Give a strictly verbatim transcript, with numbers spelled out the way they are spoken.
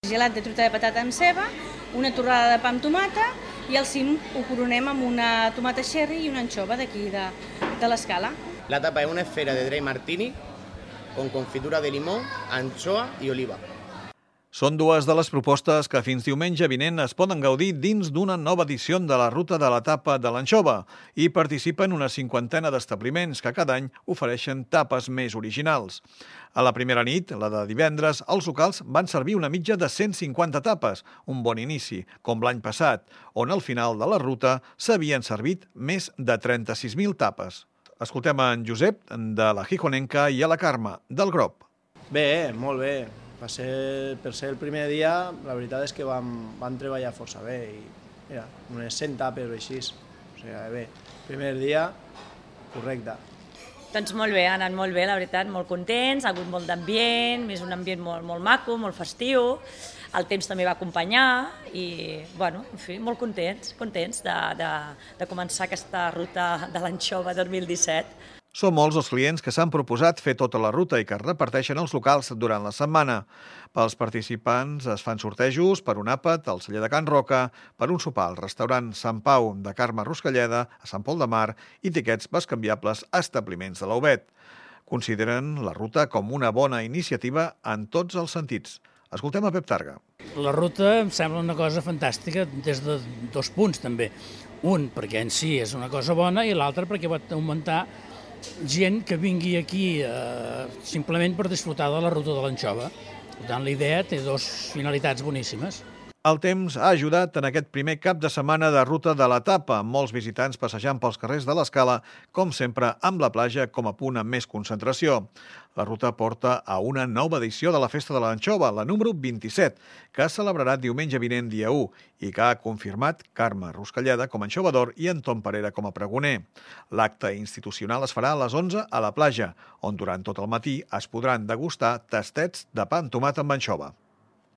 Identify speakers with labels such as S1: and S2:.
S1: Gelat de truita de patata amb ceba, una torrada de pa amb tomata i al cim ho coronem amb una tomata cherry i una anxova d'aquí de, de l'Escala.
S2: La tapa es una esfera de dry martini con confitura de limón, anchoa y oliva.
S3: Són dues de les propostes que fins diumenge vinent es poden gaudir dins d'una nova edició de la Ruta de la Tapa de l'Anxova i participen una cinquantena d'establiments que cada any ofereixen tapes més originals. A la primera nit, la de divendres, els locals van servir una mitja de cent cinquanta tapes, un bon inici, com l'any passat, on al final de la ruta s'havien servit més de trenta-sis mil tapes. Escoltem en Josep, de la Gijonenca, i a la Carme, del Grop.
S4: Bé, molt bé. Va ser, per ser el primer dia, la veritat és que vam, vam treballar força bé i mira, unes cent tapes o així. O sigui, bé, primer dia, correcte.
S5: Doncs molt bé, ha anat molt bé, la veritat, molt contents, ha hagut molt d'ambient, és un ambient molt, molt maco, molt festiu, el temps també va acompanyar i, bueno, en fi, molt contents, contents de, de, de començar aquesta ruta de l'Anxova dos mil disset.
S3: Són molts els clients que s'han proposat fer tota la ruta i que es reparteixen els locals durant la setmana. Pels participants es fan sortejos per un àpat al celler de Can Roca, per un sopar al restaurant Sant Pau de Carme Ruscalleda a Sant Pol de Mar i tiquets bescanviables a establiments de l'Aubet. Consideren la ruta com una bona iniciativa en tots els sentits. Escoltem a Pep Targa.
S6: La ruta em sembla una cosa fantàstica des de dos punts també. Un, perquè en si és una cosa bona, i l'altre perquè va augmentar gent que vingui aquí eh, simplement per disfrutar de la ruta de l'Anxova. Per tant, la idea té dues finalitats boníssimes.
S3: El temps ha ajudat en aquest primer cap de setmana de Ruta de la Tapa, amb molts visitants passejant pels carrers de l'Escala, com sempre amb la platja com a punt amb més concentració. La ruta porta a una nova edició de la Festa de l'Anxova, la número vint-i-set, que es celebrarà diumenge vinent dia u i que ha confirmat Carme Ruscalleda com a anxovador i Anton Parera com a pregoner. L'acte institucional es farà a les onze a la platja, on durant tot el matí es podran degustar tastets de pa amb tomat amb anxova.